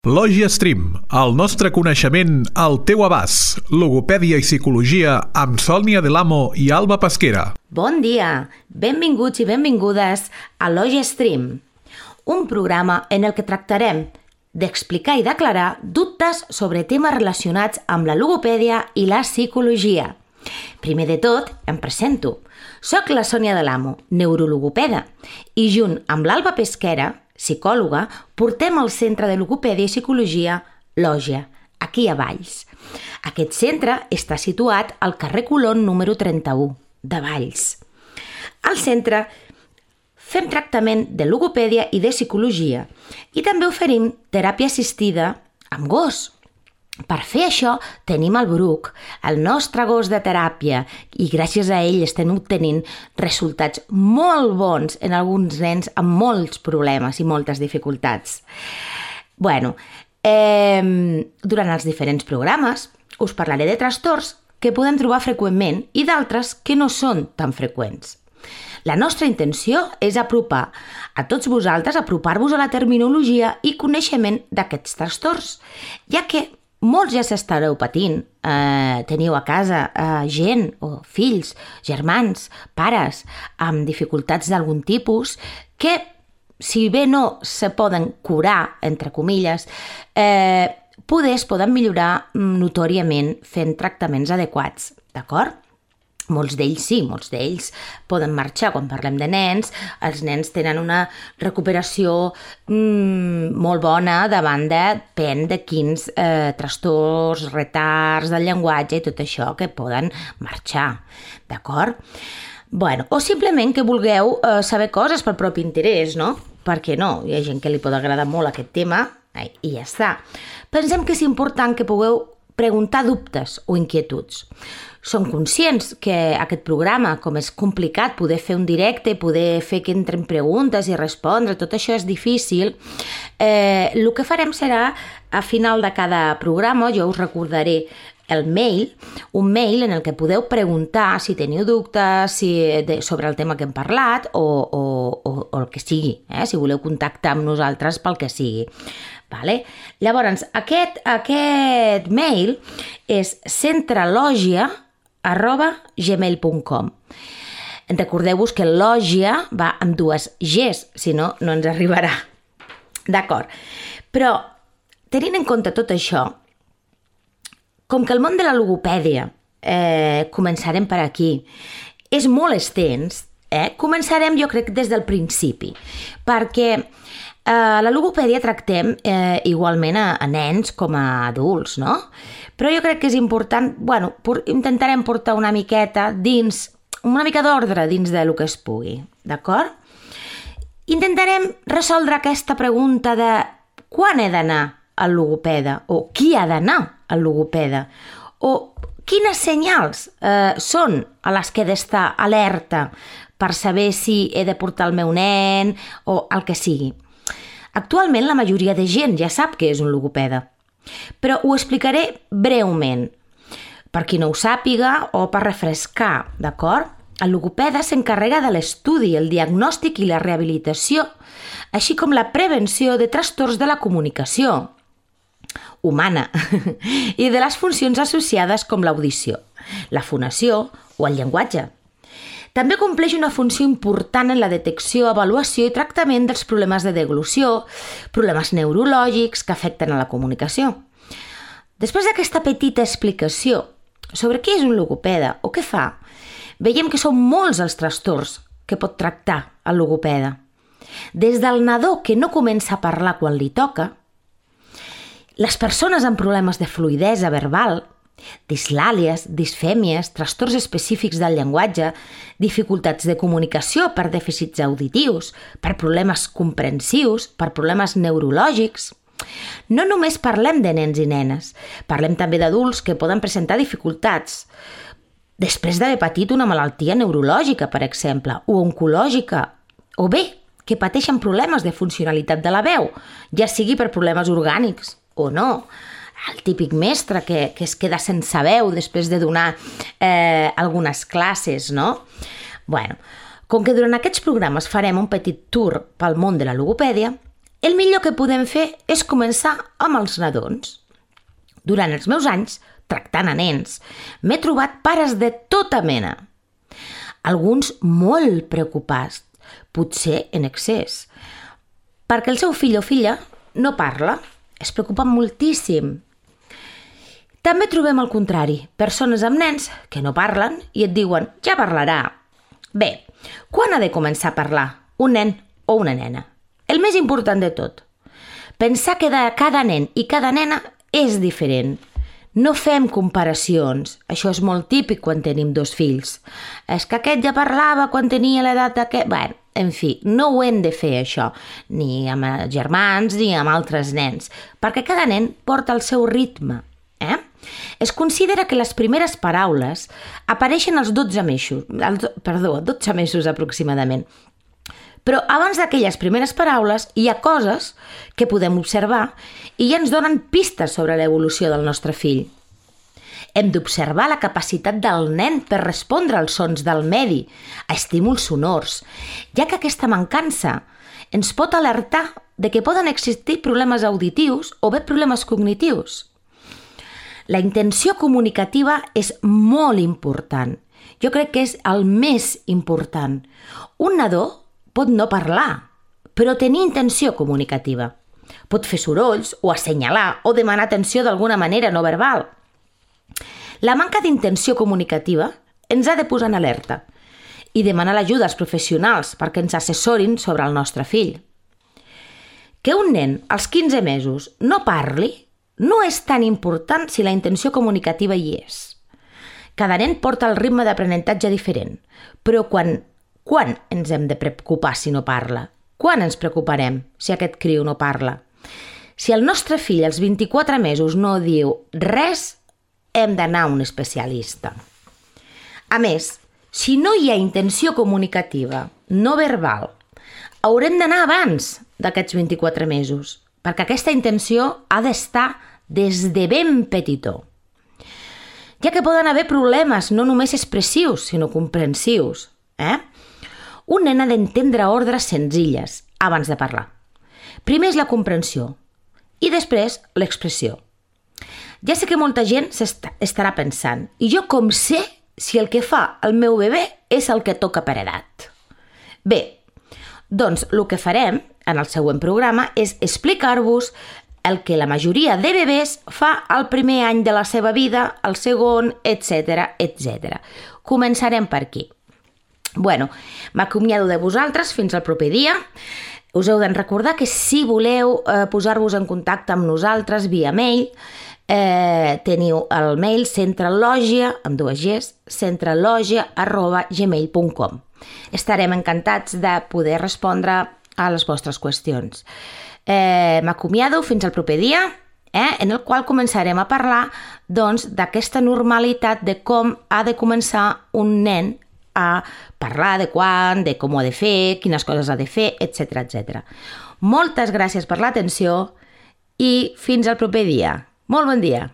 Lògia Stream, el nostre coneixement al teu abast. Logopèdia i psicologia amb Sònia Delamo i Alba Pesquera. Bon dia, benvinguts i benvingudes a Lògia Stream, un programa en el que tractarem d'explicar i d'aclarar dubtes sobre temes relacionats amb la logopèdia i la psicologia. Primer de tot, em presento. Soc la Sònia Delamo, neurologopeda, i junt amb l'Alba Pesquera, psicòloga, portem al Centre de Logopèdia i Psicologia Lògia, aquí a Valls. Aquest centre està situat al carrer Colón número 31, de Valls. Al centre fem tractament de logopèdia i de psicologia i també oferim teràpia assistida amb gos. Per fer això tenim el Bruc, el nostre gos de teràpia, i gràcies a ell estem obtenint resultats molt bons en alguns nens amb molts problemes i moltes dificultats. Durant els diferents programes us parlaré de trastorns que podem trobar freqüentment i d'altres que no són tan freqüents. La nostra intenció és apropar a tots vosaltres, apropar-vos a la terminologia i coneixement d'aquests trastorns, ja que molts ja s'estareu patint, teniu a casa gent o fills, germans, pares amb dificultats d'algun tipus que, si bé no se poden curar, entre comilles, es poden millorar notòriament fent tractaments adequats, d'acord? Molts d'ells sí, molts d'ells poden marxar. Quan parlem de nens, els nens tenen una recuperació molt bona davant de quins trastorns, retards del llenguatge i tot això que poden marxar, d'acord? O simplement que vulgueu saber coses pel propi interès, no? Per què no? Hi ha gent que li pot agradar molt aquest tema i ja està. Pensem que és important que pugueu preguntar dubtes o inquietuds. Som conscients que aquest programa, com és complicat poder fer un directe, poder fer que entren preguntes i respondre, tot això és difícil. El que farem serà, a final de cada programa, jo us recordaré el mail, un mail en el que podeu preguntar si teniu dubtes sobre el tema que hem parlat o el que sigui, si voleu contactar amb nosaltres pel que sigui. Llavors, aquest mail és centrelogia@gmail.com. Recordeu-vos que lògia va amb dues Gs, si no, no ens arribarà. D'acord. Però, tenint en compte tot això, com que el món de la logopèdia, començarem per aquí, és molt extens, començarem jo crec des del principi, perquè la logopèdia tractem igualment a nens com a adults, no? Però jo crec que és important, intentarem portar una mica d'ordre dins del que es pugui, d'acord? Intentarem resoldre aquesta pregunta de quan he d'anar al logopeda o qui ha d'anar al logopeda o quines senyals són a les que he d'estar alerta per saber si he de portar el meu nen o el que sigui. Actualment la majoria de gent ja sap què és un logopeda, però ho explicaré breument, per qui no ho sàpiga o per refrescar, d'acord? El logopeda s'encarrega de l'estudi, el diagnòstic i la rehabilitació, així com la prevenció de trastorns de la comunicació humana i de les funcions associades com l'audició, la fonació o el llenguatge. També compleix una funció important en la detecció, avaluació i tractament dels problemes de deglució, problemes neurològics que afecten a la comunicació. Després d'aquesta petita explicació sobre què és un logopeda o què fa, veiem que són molts els trastorns que pot tractar el logopeda. Des del nadó que no comença a parlar quan li toca, les persones amb problemes de fluïdesa verbal, dislàlies, disfèmies, trastorns específics del llenguatge, dificultats de comunicació per dèficits auditius, per problemes comprensius, per problemes neurològics. No només parlem de nens i nenes, parlem també d'adults que poden presentar dificultats després d'haver patit una malaltia neurològica, per exemple, o oncològica, o bé que pateixen problemes de funcionalitat de la veu, ja sigui per problemes orgànics o no. El típic mestre que es queda sense veu després de donar algunes classes, no? Com que durant aquests programes farem un petit tour pel món de la logopèdia, El millor que podem fer és començar amb els nadons. Durant els meus anys, tractant a nens, m'he trobat pares de tota mena. Alguns molt preocupats, potser en excés, perquè el seu fill o filla no parla, es preocupen moltíssim. També trobem el contrari, persones amb nens que no parlen i et diuen ja parlarà. Bé, quan ha de començar a parlar un nen o una nena? El més important de tot, pensar que de cada nen i cada nena és diferent. No fem comparacions. Això és molt típic quan tenim 2 fills. És que aquest ja parlava quan tenia l'edat d'aquest... Bé, en fi, no ho hem de fer, això, ni amb germans ni amb altres nens, perquè cada nen porta el seu ritme. Es considera que les primeres paraules apareixen als 12 mesos aproximadament. Però abans d'aquelles primeres paraules hi ha coses que podem observar i ja ens donen pistes sobre l'evolució del nostre fill. Hem d'observar la capacitat del nen per respondre als sons del medi, a estímuls sonors, ja que aquesta mancança ens pot alertar de que poden existir problemes auditius o bé problemes cognitius. La intenció comunicativa és molt important. Jo crec que és el més important. Un nadó pot no parlar, però tenir intenció comunicativa. Pot fer sorolls o assenyalar o demanar atenció d'alguna manera no verbal. La manca d'intenció comunicativa ens ha de posar en alerta i demanar l'ajuda als professionals perquè ens assessorin sobre el nostre fill. Que un nen als 15 mesos no parli no és tan important si la intenció comunicativa hi és. Cada nen porta el ritme d'aprenentatge diferent, però quan ens hem de preocupar si no parla? Quan ens preocuparem si aquest criu no parla? Si el nostre fill als 24 mesos no diu res, hem d'anar a un especialista. A més, si no hi ha intenció comunicativa no verbal, haurem d'anar abans d'aquests 24 mesos, perquè aquesta intenció ha d'estar des de ben petitó. Ja que poden haver problemes no només expressius, sinó comprensius. Un nen ha d'entendre ordres senzilles abans de parlar. Primer és la comprensió i després l'expressió. Ja sé que molta gent estarà pensant, i jo com sé si el que fa el meu bebè és el que toca per edat? Bé, doncs el que farem en el següent programa és explicar-vos el que la majoria de bebès fa el primer any de la seva vida, el segon, etc. etc. Començarem per aquí. Bueno, m'acomiado de vosaltres fins al proper dia. Us heu de recordar que si voleu posar-vos en contacte amb nosaltres via mail, teniu el mail centralogia, amb 2 Gs, centralogia@gmail.com. Estarem encantats de poder respondre a les vostres qüestions. M'acomiado fins al proper dia, en el qual començarem a parlar d'aquesta normalitat de com ha de començar un nen a parlar, de quan, de com ho ha de fer, quines coses ha de fer, etc. etc. Moltes gràcies per l'atenció i fins al proper dia. Molt bon dia!